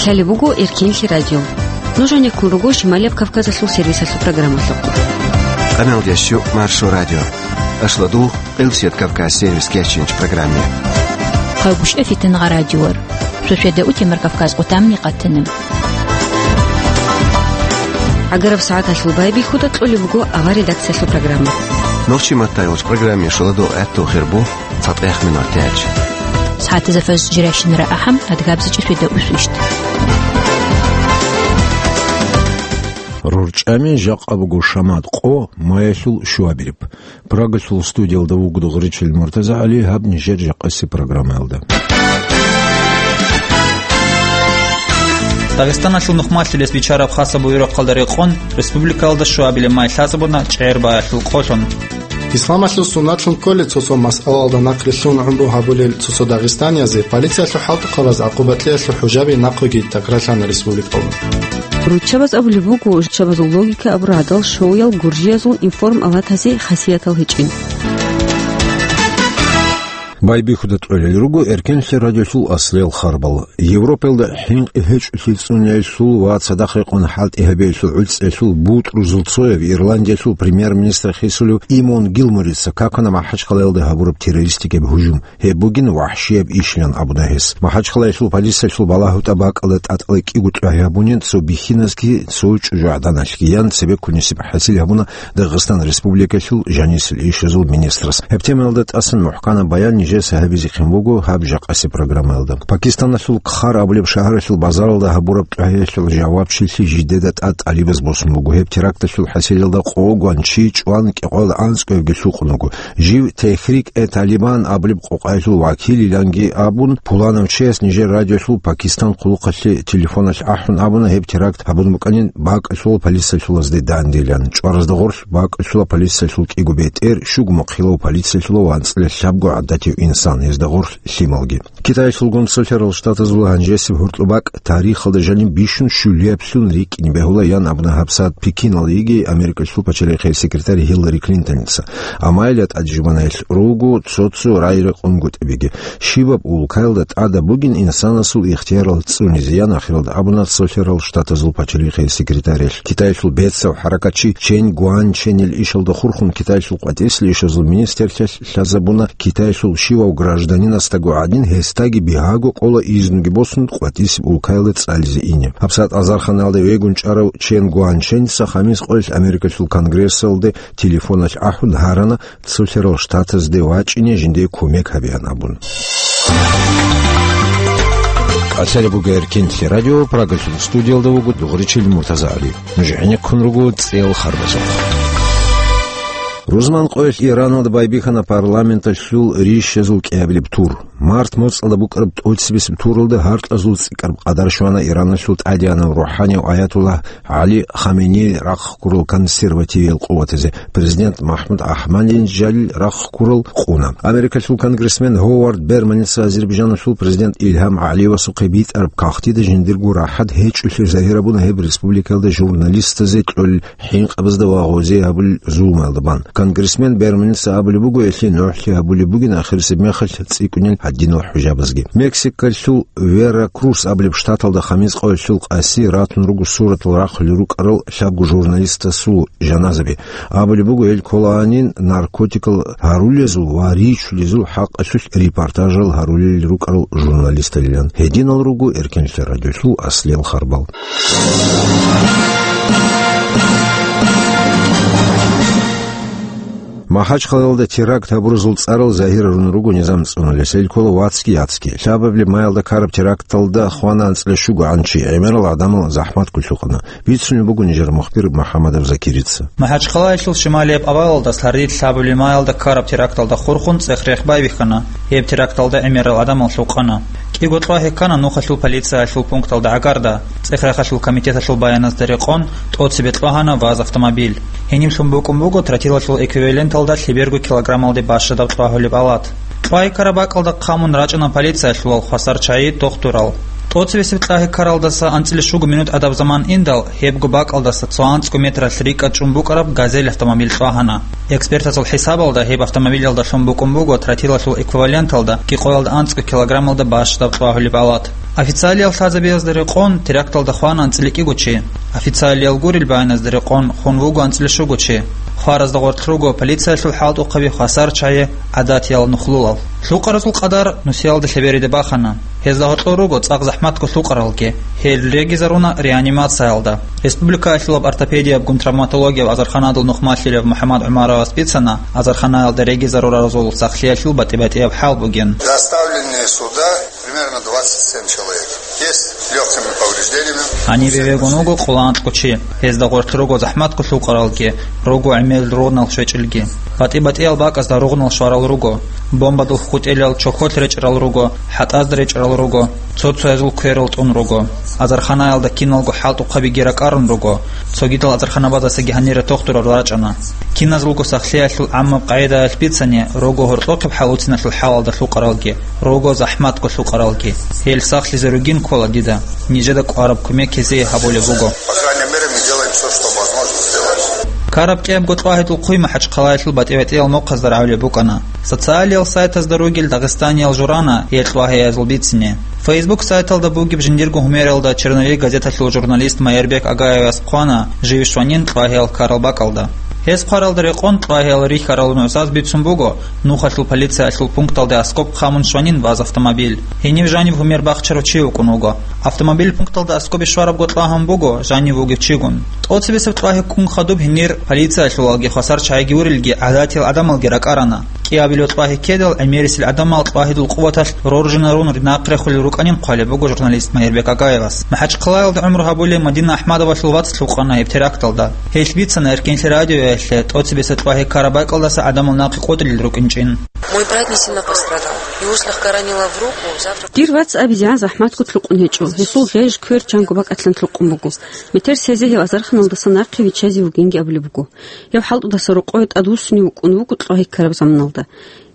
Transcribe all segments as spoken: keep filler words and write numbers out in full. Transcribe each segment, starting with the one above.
Лъалеб буго Эркенлъи радио. Нуж гьанеккун руго Шималияб Кавказалъул сервисалъул программалъухъ. Къамелдещу Маршо радио. Ашладул, Къилсият Кавказ сервис кечинч программе. Хъавгушев Фитнагъа радиор. Шошеда утемар Кавказ къутамни къатана. ГӀагараб сагӀаталъул байбихьуда кьолеб буго авар редакциялъул программа. Нохчи маттайолч программе шоладо гӀатту хирбу. ЦатӀехъ минутач. СагӀатазда фаз жирайщинара ахӀам, адгабзичӀеб свида усвищ. РорчӀами жакъа буго шамат къо, маялъул щуабилеб. Прагалъул студиялда вуго Дугъричил МуртазагӀали, гьаб нижер жакъаси программаялда. Дагъистаналъул нухмалъулес бичараб хасаб буюрухъалда рекъон, республикаялда щуабилеб май лъазабуна чӀегӀер баялъул къолъун. Исламалъул суннатлъун кколел цо-цо масъалаялда нахърилълъун гӀумру гьабулел цо-цо дагъистаниязе полициялъул хӀалтӀухъабаз гӀакъуба кьеялъул хӀужаби нахъеги такрарлъана республикалда. Руччабаз абулеб буго, руччабазул логика абураб гӀадал шоуял гуржиязул информ-алатазе хасиятал гьечӀин. Байбихьуда кьолел руго Эркенлъи радиолъул аслиял харбал. Европаялда хӀинкъи гьечӀолъи цӀуниялъул ва цадахъ рекъон хӀалтӀи гьабиялъул гӀуцӀиялъул бутӀрузул цояв Ирландиялъул премьер-министр хисулев Имон Гилморица какана МахӀачхъалаялда гьабураб террористикаб гьужум. Гьеб бугин вахӀшияб ишилан абуна гьес. МахӀачхъалаялъул полициялъул балагьутӀа бакӀалда тӀатӀала кӀиго тӀагьи гьабунин, цо бихьиназги, цо чӀужугӀаданалъги, ян цебе ккунисеб хӀасил гьабуна Дагъистан Республикалъул жанисел ишазул министрас. Гьеб темаялда тӀасан мухӀканаб баян нижеца гьабизехъин буго гьаб жакъаси программаялда. Пакистаналъул Кхар абулеб шагьаралъул базаралда гьабураб тӀагьиялъул жавабчилъи жидеда тӀад тӀалибаз босун буго. Гьеб теракталъул хӀасилалда къо гван чи чӀван кӀикъоялда анцӀгоябги лъукъун вуго. Жив Техрик-э-Талибан абулеб къокъаялъул вакилиланги абун, пуланав чияс нижер радиолъул Пакистан хъулухъалъе телефоналъ ахӀун абуна гьеб теракт гьабун букӀанин бакӀалъула полициялъулазде дандилан. ЧӀваразда гъорлъ бакӀалъула полициялъул кӀиго бетӀер, щуго мухъилав полициялъула ва анцӀила лъабго гӀадатив инсан, гьезда гъорлъ лъималги. Китайалъулгун Цолъарал Штатазул гьанжесеб гьоркьоб бакӀ тарихалда жаниб бищун щулияб лъун рикӀкӀине бегьула, ян абуна гьабсагӀат Пекинал йиги Америкалъул пачалихъе секретарь Гьиллари Клинтоница. Амма гьелда тӀад жубанайилъ руго цо-цо рагӀи-рекъон гутӀабиги. Щибаб улкаялда тӀадаб бугин инсанасул ихтиярал цӀунизе, ян ахиралда абуна Цолъарал Штатазул пачалихъе секретарелъ. Китайалъул бецав хӀаракатчи Чен Гуанченил ишалда хурхун Китайалъул къватӀисел ишазул министрлъалъ лъазабуна Китайалъул щивав гражданинасдаго гӀадин, гьесдаги бигьаго къола изнуги босун къватӀисеб улкаялда цӀализе ине. ГьабсагӀат азарханалда вегун чӀарав Чен Гуанченица хамис къоялъ Америкалъул Конгрессалде телефоналъ ахӀун гьарана, Цолъарал Штатазде вачӀине жиндие кумек гьабеян абун. КӀалъалеб буго Эркенлъи радио, Прагалъул студиялда вуго Дугъричил МуртазагӀали. Нуж гӀенеккун руго цӀел харбазухъ. Рузман къоялъ Ираналда байбихьана парламенталъул рищазул кӀиабилеб тур. Март моцӀалда букӀараб тӀоцебесеб туралда гьаркьазул цӀикӀкӀараб къадар щвана Ираналъул тӀадегӀанав рухӀанияв Аятуллагь ГӀали Хаменеил рахъ ккурал консервативиял къуватазе, президент МахӀмуд Ахмадинежадил рахъ ккурал къуна. Америкалъул конгрессмен Гьовард Берманица Азербайджаналъул президент Илгьам ГӀалиевасухъе битӀараб кагътида жиндирго рахӀат гьечӀолъи загьир гьабуна гьеб республикаялда журналистазе кьолел хӀинкъабазда ва гъозие гьабулел зулмаялда бан. Конгрессмен Берманица абулеб буго, гьелъие нугӀлъи гьабулеб бугин ахирисеб мехалъ цӀикӀкӀунел гьадинал хӀужабазги. Мексикалъул Веракрус абулеб штаталда хамис къоялъул къаси ратун руго суратал рахъулел рукӀарал лъабго журналистасул жаназаби. Абулеб буго, гьел кколаанин наркотикал гьарулезул ва ричулезул хӀакъалъулъ репортажал гьарулел рукӀарал журналисталилан. Гьединал руго Эркенлъи радиолъул аслиял харбал. МахӀачхъалалда теракт гьабуразул цӀарал загьирарун руго низам цӀунулес, гьел ккола вацги яцги. Лъабабилеб маялда ккараб теракталда хвана анцӀила щугогӀан чи, гӀемерал гӀадамал захӀматго лъукъана. Бицунеб буго нижер мухбир МухӀаммадов Закирица. МахӀачхъалаялъул шималияб авалалда сардилъ лъабабилеб маялда ккараб теракталда хурхун цӀех-рех байбихьана. Гьеб теракталда гӀемерал гӀадамал лъукъана. КӀиго кьвагьи ккана нухалъул полициялъул пункталда гӀагарда. ЦӀех-рехалъул комитеталъул баяназда рекъон, тӀоцебе кьвагьана ВАЗ автомобиль. Гьениб лъун букӀун буго тротилалъул эквиваленталда лъеберго килограммалде бащадаб кьвагьулеб алат. Кьвагьи ккараб бакӀалда хъамун рачӀана полициялъулал хвасар чагӀи, дохтурал. ТӀоцебесеб кьвагьи ккаралдаса анцӀила щуго минут гӀадаб заман индал, гьебго бакӀалдаса цо анцӀго метралъ рикӀкӀад чӀун букӀараб «Газель» автомобиль тӀагьана. Экспертазул хӀисабалда гьеб автомобилялда лъун букӀун буго тротилалъул эквиваленталда кӀикъоялда анцӀго килограммалда бащдаб кьвагьулеб алат. Официалиял лъазабиязда рекъон, теракталда хвана анцӀила кӀиго чи. Официалиял гурел баяназда рекъон, хун вуго анцӀила щуго чи. Хваразда гъоркь руго полициялъул хӀалтӀухъаби, хвасар чагӀи, гӀадатиял нухлулал. Лъукъаразул къадар нусиялда лъебериде бахана. Гьезда гьоркьор руго цӀакъ захӀматго лъукъаралги. Гьел регизаруна реанимациялда. Республикаялъулаб ортопедиябгун травматологияб азарханадул нухмалъилав МухӀаммад ГӀумаровас бицана азарханаялда регизаруразул сахлъиялъул батӀи-батӀияб хӀал бугин. Доставленные сюда примерно двадцать семь человек. Есть с лёгкими повреждениями. Гьанибе вегун вуго къоло анкьго чи. Гьезда гъоркь руго захӀматго лъукъаралги, руго гӀемерал ругънал щвечӀелги. БатӀи-батӀиял бакӀазда ругънал щварал руго. Бомбадул хутӀелал чохьолъ речӀарал руго, хӀатӀазда речӀарал руго, цо-цоязул кверал тӀун руго. Азарханаялда киналго хӀалтӀухъабиги ракӀарун руго. Цогидал азарханабаздасаги гьанире тохтурал рачӀана. Киназулго сахлъиялъул гӀаммаб къагӀидаялъ бицани, руго гьоркьохъеб хӀалуциналъул хӀалалда лъукъаралги, руго захӀматго лъукъаралги. Гьел сахлъизе ругин ккола дида. Нижеда кӀвараб кумек гьезие гьабулеб буго. По крайней мере, мы делаем всё, что возможно сделать. Ккараб кӀиябго кьвагьидул хъуй МахӀачхъалаялъул батӀи-батӀиял мухъазда рагӀулеб букӀана. Социалиял сайтазда ругел дагъистаниял журана гьел кьвагьиязул бицине. Facebook сайталда бугеб жиндирго гьумералда «Черновик» газеталъул журналист Майербек Агаевас хъвана жив щванин кьвагьиял ккарал бакӀалда. Гьес хъваралда рекъон, кьвагьиял рихьарал нугӀзаз бицун буго нухалъул полициялъул пункталде аскӀоб хъамун щванин ваз автомобиль. Гьенив жанив гьумер бахчарав чи вукӀун вуго. Автомобиль пункталда аскӀобе щварабго кьвагьун буго жанив вугев чигун. ТӀоцебесеб кьвагьи ккун хадуб гьенир полициялъулалги хвасар чагӀиги урелги гӀадатиял гӀадамалги ракӀарана. КӀиабилеб кьвагьи ккедал гӀемерисел гӀадамал кьвагьидул къуваталъ роржинарун ринахъ рехулел рукӀанин хъвалеб буго журналист Майербек Агаевас. МахӀачхъалаялда гӀумру гьабулев Мадина АхӀмадовалъул вац лъукъана гьеб теракталда. Гьелъ бицана Эркенлъи радиоялъе тӀоцебесеб кьвагьи ккараб бакӀалдаса гӀадамал нахъе къотӀилел рукӀин чӀин. Мой брат не сильно пострадал. Его слегка ранило в руку. Завтра Дир вац абизегӀан захӀматго лъукъун гьечӀо. Гьесул гъеж, квер чанго бакӀалъан лъукъун буго. Метер сезе гьев азарханалдаса нахъе виччазе вугинги абулеб буго. Гьев хӀалтӀудаса рокъове тӀадвуссунев вукӀун вуго кьвагьи ккараб заманалда.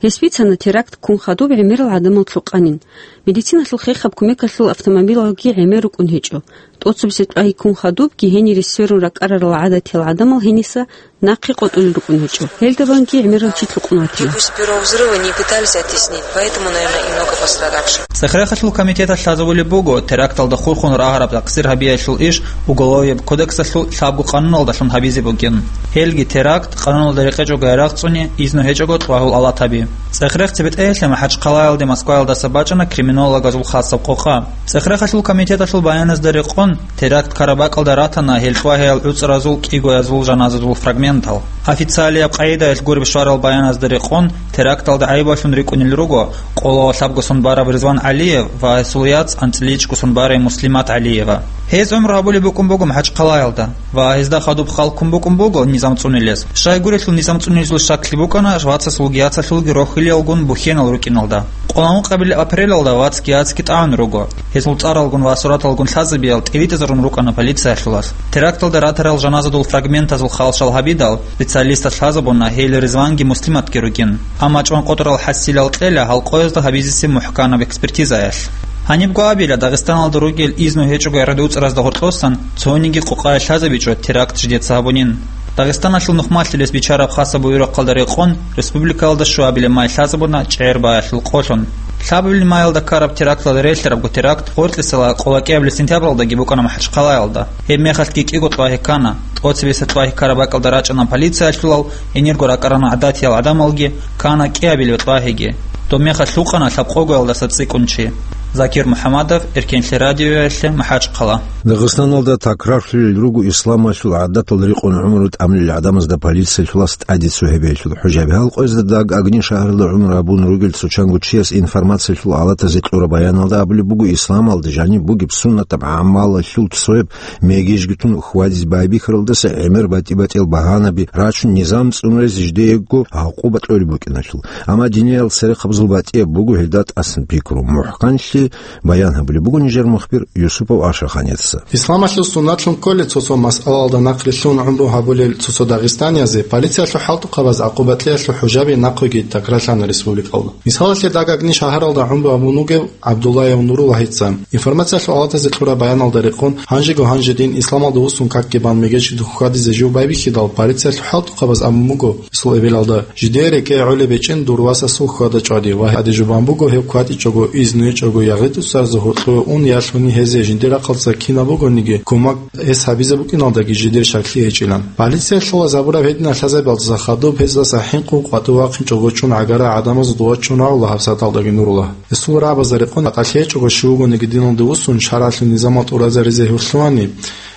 Гьес бицана теракт ккун хадуб гӀемерал гӀадамал лъукъанин. Медициналъул хехаб кумекалъул автомобилалги гӀемер рукӀун гьечӀо. ТӀоцебесеб кьвагьи ккун хадуб гьенире сверун ракӀарарал гӀадатиял гӀадамал гьениса нахъе къотӀулел рукӀун гьечӀо. Гьелдабанги гӀемерал чи лъукъун ватила. После первого взрыва не пытались оттеснить, поэтому, наверное, и много пострадавших. ЦӀехрехалъул комитеталъ лъазабулеб буго теракталда хурхун рагьараб такъсир гьабиялъул иш Уголовияб кодексалъул лъабго къануналдалъун гьабизе бугин. Гьелги теракт, къануналда рекъечӀого ярагъ цӀуни, изну гьечӀого кьвагьул алатаби. ЦӀехрех цебетӀеялъе МахӀачхъалаялде Москваялдаса бачӀана криминологазул хасаб къокъа. ЦӀехрехалъул комитеталъул баяназда рекъон, теракт ккараб бакӀалда ратана гьел кьвагьиял гӀуцӀразул кӀигоязул жаназадул фрагментал. Официалияб къагӀидаялъ гуреб щварал баяназда рекъон, теракталда гӀайибалъун рикӀкӀунел руго къоло лъабго сон бараб Ризван ГӀалиев ва гьесул яц анцӀила ичӀго сон барай Муслимат ГӀалиева. Гьез гӀумру гьабулеб букӀун буго МахӀачхъалаялда ва гьезда хадуб хал ккун букӀун буго низам цӀунилез. Щайгурелъул низам цӀунилезул щаклъи букӀана вацасулги яцалъулги рохьилиялгун бухьенал рукӀиналда. Къоло ункъабилеб апрелалда вацги яцги тӀагӀун руго. Гьезул цӀаралгун ва сураталгун лъазабиял тӀибитӀизарун рукӀана полициялъулалъ. Теракталда ратарал жаназадул фрагментазул халщал гьабидал, специалисталъ лъазабуна гьел Ризванги Муслиматги ругин. Амма чӀван къотӀрал хӀасилал кьела гьал къоязда гьабизесеб мухӀканаб экспертизаялъ. Гьанибго абила, Дагъистаналда ругел изну гьечӀого гӀурхъи уцӀразда гьоркьосан цониги къокъаялъ лъазабичӀо теракт жидеца гьабунин. Дагъистаналъул нухмалъилес бичараб хасаб буюрахъалда рекъон республикалда щуабилеб май лъазабуна чӀегӀер баялъул къолъун. Лъабабилеб маялда ккараб теракталда релълъарабго теракт гъоркьисела къоло кӀиабилеб сентябралдаги букӀана МахӀачхъалаялда. Гьеб мехалъги кӀиго кьвагьи ккана. ТӀоцебесеб кьвагьи ккараб бакӀалда рачӀана полициялъулал, гьенирго ракӀарана гӀадатиял гӀадамалги, ккана кӀиабилеб кьвагьиги. Доб мехалъ лъукъана лъабкъогоялдаса цӀикӀкӀун чи. Закир МухӀамадов, Эркенлъи радиоялъе, МахӀачхъала. Дагъистаналда такрарлъулел руго исламалъул гӀадатал рекъон гӀумру тӀамулел гӀадамазда полициялъулас тӀаде цо гьебелъул хӀужаби. Гьал къоязда даг Агни шагьаралда гӀумру гьабун ругел цо чанго чияс информациялъул алатазе кьураб баяналда абулеб буго, исламалда жаниб бугеб суннатаб гӀамалалъул цояб мегижги тун хьвадизе байбихьаралдаса гӀемер батӀи-батӀиял багьанаби рачун низам цӀунарез жидеего гӀакъуба кьолеб букӀиналъул. Амма диниял церехъабазул батӀияб буго гьелда тӀасан пикру. МухӀканлъи Баян гьабулеб буго нижер мухбир Юсупов Ашраханец. Исламалъул суннатлъун кколел цо-цо масъалаялда нахърилълъун гӀумру гьабулел цо-цо дагъистаниязе полициялъул хӀалтӀухъабаз гӀакъуба кьеялъул хӀужаби нахъеги такрарлъана республикалда. Мисалалъе, Дагагни шагьаралда гӀумру гьабун вугев ГӀабдуллаев Нуруллагьица информациялъул алатазе кьураб баяналда рекъон, гьанжего-гьанже дин исламалда вуссун какги бан мегечӀидухъ хьвадизе жив байбихьидал, полициялъул хӀалтӀухъабаз абун буго, Исул эбелалда: «Жидее рекӀее гӀолеб гьечӀин дур васасул хьвада чӀвади ва гьадижубан буго гьев кватӀичӀого, изнуечӀого ягъи-тӀуцӀаразул гьоркьове ун ялъуни гьезие жиндир рахъалца кинаб бугониги кумак гьес гьабизе букӀиналдаги жидер щаклъи гьечӀилан». Полициялъула забураб гьединал лъазабиялдаса хадуб гьезда сахӀинкъун къватӀив вахъинчӀого чун гӀагара гӀадамазул дова чӀун рагӀула гьабсагӀаталдаги Нуруллагь. Гьесул рагӀабазда рекъон, батӀалъи гьечӀого щив вугониги диналде вуссун, шаргӀалъул низамал тӀуразаризе гьурлъуани,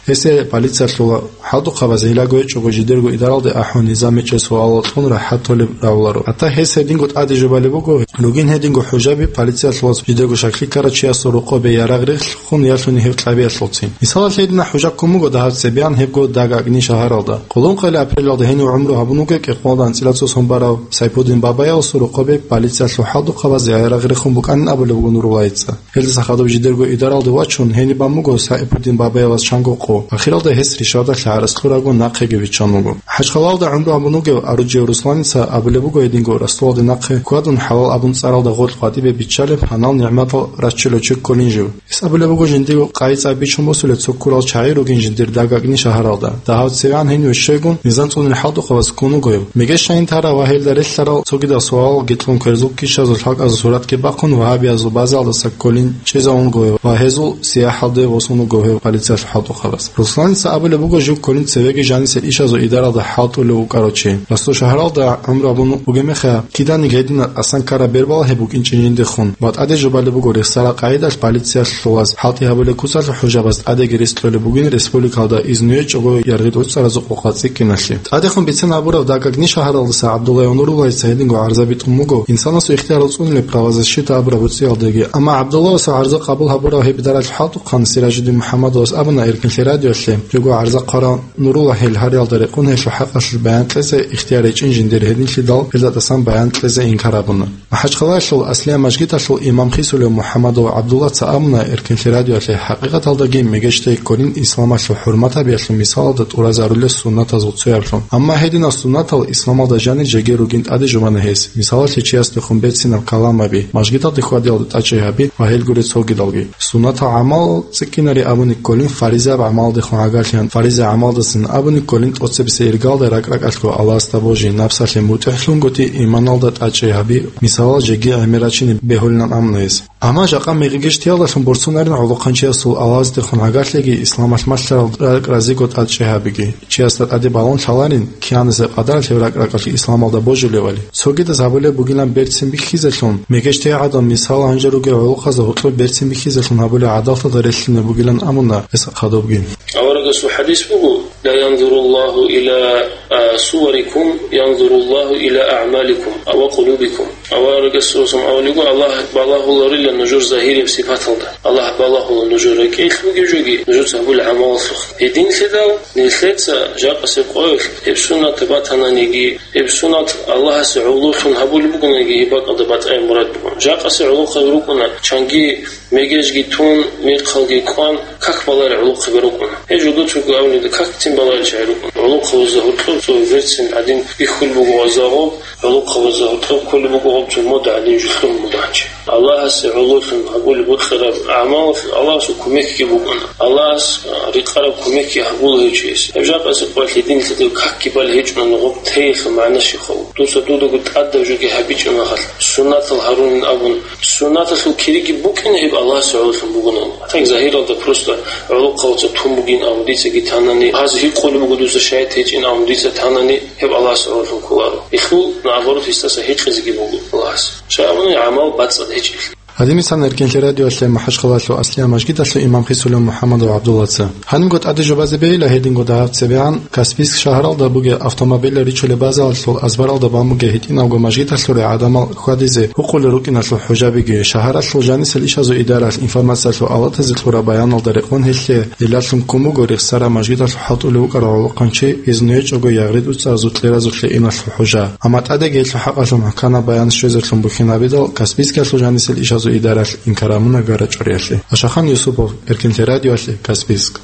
гьесие полициялъула хӀалтӀухъабаз гьелаго гьечӀого жидерго идаралде ахӀун, низам гьечӀеб суалал кьун рахӀат толеб рагӀуларо. ГьатӀа гьес гьединго тӀаде жубалеб буго, ругин гьединго хӀужаби полициялъулас жидерго щаклъи ккарав чиясул рокъобе ярагъ рехлъ хун ялъуни гьев кьабиялъулцин. Мисалалъе, гьединаб хӀужа ккун буго дагьаб цебеян гьебго Дагагни шагьаралда. Къулункъоялда апрелалда гьенив гӀумру гьабун вугев кӀикъоялда анцӀила цо-сон барав Сайпудин Бабаевасул рокъобе полициялъул хӀалтӀухъабаз ярагъ рехун букӀанин абулеб буго Нуруллагьица. Гьелдаса хадуб жидерго идаралде вачун, гьениб бан буго Сайпудин Бабаевас чанго къо. Ахиралда гьес ришваталъе гӀарац кьурабго нахъеги виччан вуго. МахӀачхъалаялда гӀумру гьабун вугев Аружияв Русланица абулеб буго гьединго расулалде нахъе кквадун, хӀалал абун цӀаралда гъоркь къватӀибе биччалеб гьанал нигӀматал раччулев чи кколин жив. Гьес абулеб буго жиндирго къайи-цӀай бичун босулел цо ккурал чагӀи ругин жиндир Дагагни шагьаралда. Дагьав цевегӀан гьениве щвегун, низам цӀунел хӀалтӀухъабаз ккун вуго гьев. Мегеж шайинтарав ва гьелда релълъарал цогидал суалалги кьун, кверзул кишазул хӀакъазул суратги бахъун, вагьабиязул базаялдаса кколин чӀезавун вуго гьев ва гьезул сияхӀалде восун вуго гьев полициялъул хӀалтӀухъабаз. Русланица абулеб буго жив кколин цевеги жанисел ишазул идаралда хӀалтӀулев вукӀарав чи. Расул шагьаралда гӀумру гьабун вугеб мехалъ, киданиги гьединаб тӀасан ккараб бербалъи букӀинчӀин жиндихун, батӀаде жубалеб буго рехсарал къагӀидалъ полициялъулас хӀалтӀи гьабулел куцалъул хӀужабаз тӀадеги рес кьолеб бугин республикалда изнуечӀого яргъи-тӀуцӀаразул къокъа цӀикӀкӀиналъе. ТӀадехун бицина абураб Дагагни шагьаралдаса ГӀабдуллаев Нуруллагьица гьединго гӀарза битӀун буго инсанасул ихтиярал цӀунулеб правозащита абураб буцӀиялдаги. Амма ГӀабдуллагьица гӀарза къабул гьабурав гьеб даралъ хӀалтӀухъан Сиражудин МухӀаммадовас абуна Эркинлъи радиоялъе, жого гӀарза хъварав Нуруллагьил гьариялда рекъон гьелъул хӀакъалъулъ баян кьезе ихтияр гьечӀин жиндир гьединлъидал, гьелда тӀасан баян кьезе инкар гьабуна. МахӀачхъалаялъул аслияб мажгиталъул имам Хисулев МухӀаммадов ГӀабдуллаца абуна Эркинлъи радиоялъе хӀакъикъаталдаги мегеж тей кколин исламалъул хӀурмат гьабиялъул мисалалда тӀуразарулел суннатазул цояблъун. Амма гьединал суннатал исламалда жанир жеги ругин тӀаде жубана гьес. Мисалалъе, чиясдехун берцинаб калам гьаби, мажгиталде хьвадиялда тӀачӀей гьаби ва гьел гуреб цогидалги. Суннатал гӀамал цӀикӀкӀинаре абуни кколин фаризаяб гӀамалдехун гӀагарлъи, фариза гӀамалдасан абуни кколин тӀоцебесеб иргалда ракӀ-ракӀалъго Аллагьасда божи, напсалъе мутӀигӀлъунгути иманалда тӀачӀей гьаби, мисалал, жеги гӀемерачине бегьулилан абуна гьес. Амма жакъа мегъигищ тиялдалъун борцунарин гӀолохъанчиясул Аллагьасдехун гӀагарлъиги исламалъ малъарал ракӀ-разиго тӀачӀей гьабиги. Чиясда тӀаде балун лъаларин, кигӀанасеб къадаралъ гьев ракӀ-ракӀалъе исламалда божулевали. Цогидаз гьабулеб бугилан берцин бихьизелъун, мегеж тей гӀадал мисал гьанже ругел гӀолохъазда гьоркьоб берцин бихьизелъун гьабулеб гӀадалталда релълъинаб бугилан абуна гьес хадубги. Аварагасул хадис буго: «Ла янзуруллагьу иля, а, суварикум, янзуруллагьу иля аъмаликум ва къулубикум». Аварагас саллаллагьу гӀалайгьи ва саллам абулеб буго: «Аллагь балагьуларила нужер загьирияб сипаталда. Аллагь балагьула нужер рекӀелъ бугеб жоги, нужеца гьабулеб гӀамалалъухъ». Гьединлъидал нилъеца жакъасеб къоялъ гьеб суннат батананиги, гьеб суннат Аллагьасе гӀололъун гьабулеб бугониги, гьеб бакӀалда батӀияб мурад бугони. Жакъасеб гӀолохъаби рукӀуна, чанги мегежги тун, мехалги кӀван, как баларел гӀолохъаби рукӀуна. Гьеб жо дуца абулеб, как тин баларел чагӀи рукӀуна. ГӀолохъабазда гьоркьоб цо верцин гӀадин бихьулеб буго гъоза гъоб, гӀолохъабазда гьоркьоб кколеб буго гъоб цо мода гӀадин жутлъулеб мугӀ гьанчи. Аллагьасе гӀололъун гьабулеб бокьараб гӀамал Аллагьасул кумекги букӀуна. Аллагьас, а, рекъараб кумекги гьабула гьев чиясе. Гьеб жакъасеб къоялъ гьединлъидал какги балеб гьечӀони гъоб теялъул магӀна щибха вуго. Дуца дудаго тӀадаб жоги гьабичӀеб мехалъ, суннатал гьарунин абун, суннаталъул кириги букӀина гьеб Аллагьасе гӀололъун бугони. ГьатӀи загьиралда просто гӀолохъабаца тун бугин абун дицаги танани, гьаз гьикъулеб буго дуца шагьид гьечӀин абун дица танани, гьеб Аллагьасе гӀололъун кколаро. Ихлул, наоборот, гьесдаса гьикъизеги буго Аллагьас. Щай абуни, гӀамал бацӀцӀад гьечӀеблъи. Гьадин, мисал, Эркинлъи радиоялъе МахӀачхъалаялъул аслияб мажгиталъул имам Хисулев МухӀаммадов ГӀабдуллаца. Гьанибго тӀаде жубазе бейила гьединго дагьаб цебегӀан Каспийск шагьаралда бугеб автомобилал ричулеб базаялъул азбаралда бан бугеб гьитӀинабго мажгиталъуре гӀадамал хьвадизе гьукъулел рукӀиналъул хӀужабиги. Шагьаралъул жанисел ишазул идаралъ информациялъул алатазе кьураб баяналда рекъон гьелъие гӀиллалъун ккун буго рехсараб мажгиталъухъ хӀалтӀулев вукӀарав гӀолохъанчи, изнугьечӀого ягъри-дуцӀаразул кьеразулъе иналъул хӀужа. Амма тӀадеги гьелъул хӀакъалъулъ мухӀканаб баян щвезелъун бухьинабидал, Каспийскиялъул жанисел ишазул Идаралъ инкарамуна гара чӀориялъе. Ашахан Юсупов, Эркинлъи радиоялъе, Каспийск.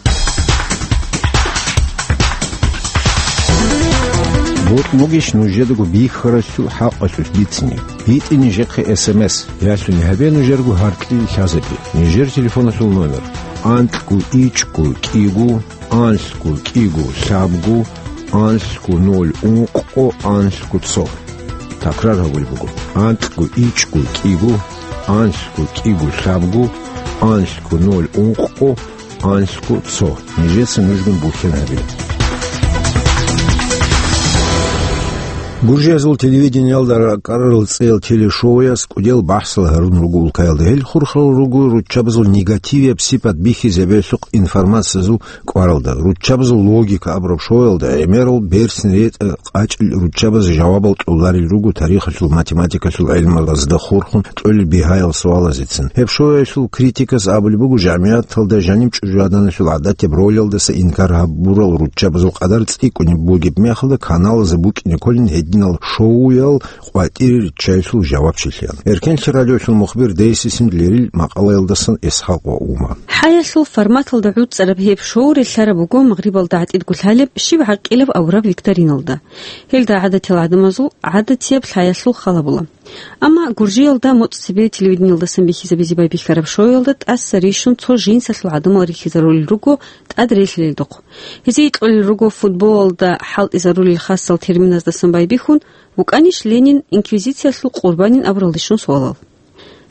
Бокь бугищ нужедаго бихьаралъул хӀакъалъулъ бицине? БитӀе нижехъе эс эм эс, ялъуни гьабе нужерго гьаркьлъи лъазабе. Нижер телефоналъул номер: анкьго ичӀго кӀиго, анлъго кӀиго лъабго, анлъго ноль ункъго, анлъго цо. Такрар гьабулеб буго: анкьго ичӀго кӀиго, анлъго кӀиго лъабго, анлъго ноль ункъго, анлъго цо. Нижеца нужгун бухьен гьабе. Гуржиязул телевидениялда ракӀарарал цӀеял телешоуяс кӀудиял бахӀсал гьарун руго улкаялда. Гьел хурхарал руго руччабазул негативияб сипат бихьизабиялъухъ информациязул кӀваралда. Руччабазул логика абураб шоуялда гӀемерал берцин ретӀа къачӀел руччабазе жавабал кьоларел руго тарихалъул, математикалъул гӀелмазда хурхун кьолел бигьаял суалазецин. Гьеб шоуялъул критикас абулеб буго, жамигӀаталда жаниб чӀужугӀаданалъул гӀадатияб ролалдаса инкар гьабурал руччабазул къадар цӀикӀкӀунеб бугеб мехалда, каналазда букӀине кколин гьединал шоуял къватӀире риччаялъул жавабчилъиялда. Эркенлъи радиолъул мухбир Дейсисин лерил макъалаялдасан Исхакъ ва Ума. ХӀаялъул форматалда гӀуцӀараб гьеб шоу релълъараб буго магърибалда гӀатӀидго лъалеб «Щиб гӀакъилаб?» абураб викториналда. Гьелда гӀадатиял гӀадамазул гӀадатияб лъаялъул хал гьабула. Амма Гуржиялда моцӀ цебе телевидениялдасан бихьизабизе байбихьараб шоуялда тӀаса рищун цо жинсалъул гӀадамал рихьизарулел руго тӀад релълъаралдухъ. Гьезие кьолел руго футболалда хӀалтӀизарулел хасал терминаздасан байбихьун, «ВукӀанищ Ленин инквизициялъул къурбанин?» абуралдищун суалал.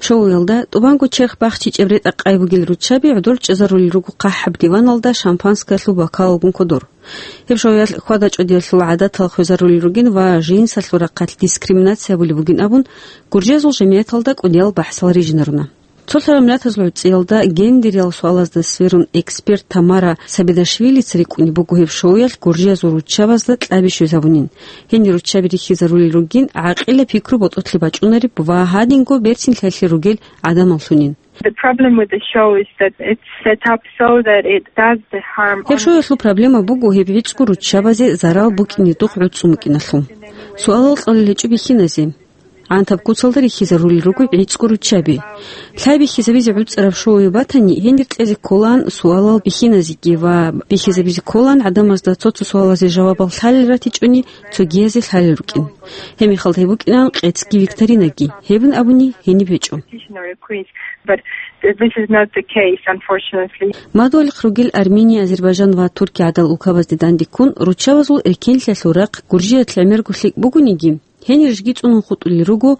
Шоуялда тӀубанго черх бахчичӀеб ретӀа-къай бугел руччаби гӀодор чӀезарулел руго хъахӀаб диваналда шампанскоялъул бокалалгун кодор. Гьеб шоуялъ хьвада-чӀудиялъул гӀадатал хвезарулел ругин ва жинсалъул рахъалъ дискриминация гьабулеб бугин абун, гуржиязул жамигӀаталда кӀудиял бахӀсал рижинаруна. Цолъараб миллатазул гӀуцӀиялда гендериял суалазда сверун эксперт Тамара Сабедашвилица рикӀкӀунеб буго гьеб шоуялъ гуржиязул руччабазда кьаби щвезабунин. Гьенир руччаби рихьизарулел ругин гӀакъила пикру ботӀолъи бачӀунареб ва гьадинго берцинлъиялъе ругел гӀадамаллъунин. The problem with the show is that it's set up so that it does the harm. Гьеб шоуялъул проблема буго гьеб гӀицӀго руччабазе зарал букӀинедухъ гӀуцӀун букӀиналъул. Суалал кьолел гьечӀо бихьиназе. ГӀантаб куцалда рихьизарулел руго гӀицӀго руччаби. Лъай бихьизабизе гӀуцӀараб шоуе батани, гьенир кьезе кколаан суалал бихьиназеги ва бихьизабизе кколаан гӀадамазда цо-цо суалазе жавабал лъалел ратичӀони, цогиязе лъалел рукӀин. Гьеб мехалда гьеб букӀинаан къецги викторинаги, гьебин абуни гьениб гьечӀо. But this is not the case, unfortunately. Мадугьалихъ ругел Армения, Азербайжан ва Туркия гӀадал улкабазде дандеккун, руччабазул эркенлъиялъул рахъ Гуржиялъ гӀемерго лъикӀ бугониги, гьенир жги цӀунун хутӀулел руго,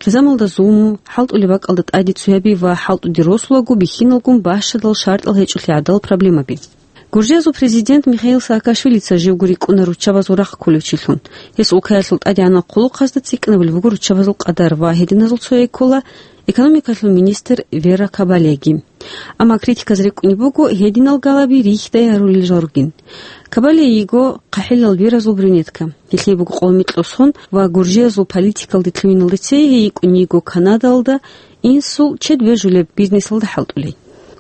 хъизамалда зулму, хӀалтӀулеб бакӀалда тӀаде цояби ва хӀалтӀуде росулаго бихьиналгун бащадал шартӀал гьечӀолъи гӀадал проблемаби. Гуржиязул президент Михаил Саакашвилица живго рикӀкӀуна руччабазул рахъ кколев чилъун. Гьес улкаялъул тӀадегӀанал хъулухъазда цӀикӀкӀинабулеб буго руччабазул къадар ва гьединазул цояй ккола экономикалъул министр Вера Кабалияги. Амма критиказ рикӀкӀунеб буго гьединал галаби рихьдай гьарулел жал ругин. Кабалия йиго хъахӀилал беразул брюнетка. Гьелъие буго къоло микьго сон ва гуржиязул политикалде лъугьиналде цее гьей йикӀун йиго Канадалда инсул чед бержулеб бизнесалда хӀалтӀулей.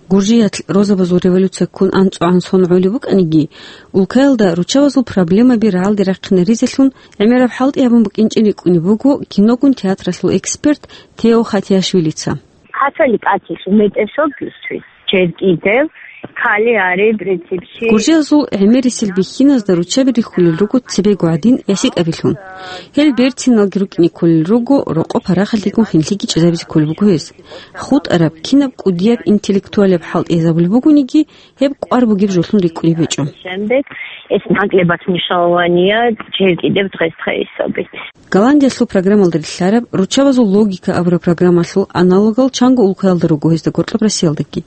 Гуржиялъ розабазул революция ккун анцӀгӀан сон гӀолеб букӀаниги, улкаялда руччабазул проблемаби рагӀалде рахъинаризелъун гӀемераб хӀалтӀи гьабун букӀинчӀин рикӀкӀунеб буго киногун театралъул эксперт Тео Хатиашвилица. Хасали кӀатилъ метӀесобиусвис чер кӀидев, кали гьариб рецепщи. Гуржиязул гӀемерисел бихьиназда руччаби рихьулел руго цебего гӀадин ясикӀабилъун. Гьел берциналги рукӀине кколел руго, рокъо парахалдегун хинлъиги чӀезабизе кколеб буго гьез. ХутӀараб, кинаб кӀудияб интеллектуалияб хӀалтӀи гьезабулеб бугониги, гьеб кӀвар бугеб жолъун рикӀкӀунеб гьечӀо. Шембек, эс наклебат мишалвания, чер кӀидев дгъес дгъе исабит. Голландиялъул программалда рилълъараб «Руччабазул логика» абураб программалъул аналогал чанго улкаялда руго, гьезда гьоркьоб Россиялдаги.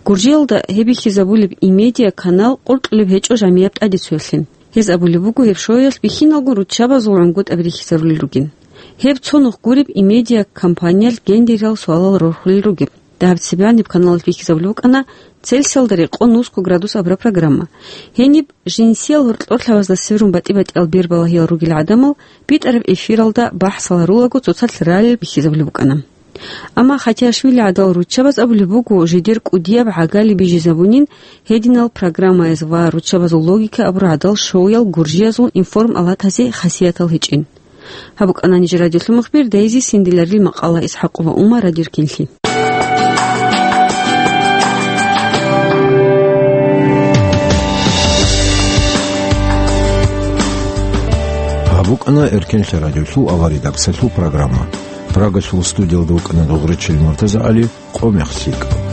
Гуржиялда гьеб бихьизабулеб «Имедиа» канал къоркьулеб гьечӀо жамияб тӀадецоялъе. Гьез абулеб буго, гьеб шоуялъ бихьиналгун руччабазул гӀунгутӀаби рихьизарулел ругин. Гьеб цо нух гуреб «Имедиа» компаниялъ гендериял суалал рорхулел ругеб. Дагьаб цебегӀан гьеб каналалъ бихьизабулеб букӀана «Цельсиялда рекъон нусго градус» абураб программа. Гьениб жинсиял гьоркьорлъабазда сверун батӀи-батӀиял бербалагьиял ругел гӀадамал битӀараб эфиралда бахӀсал гьарулаго цоцалъ ралел бихьизабулеб букӀана. Амма Хатиашвили гӀадал руччабаз абулеб буго, жидер кӀудияб гӀагали бижизабунин гьединал программаяз ва «Руччабазул логика» абураб гӀадал шоуял гуржиязул информалатазе хасиятал гьечӀин. Гьаб букӀана нижер радиолъул мухбир Дейзи Синдиларил макъала. Исхакъова Ума, Радио Эркенлъи. БукӀана Эркенлъи радиолъул авария даксалъул программа. Прагалъул студиялда вукӀана Дугъричил МуртазагӀали. Къо мехлъикӀ.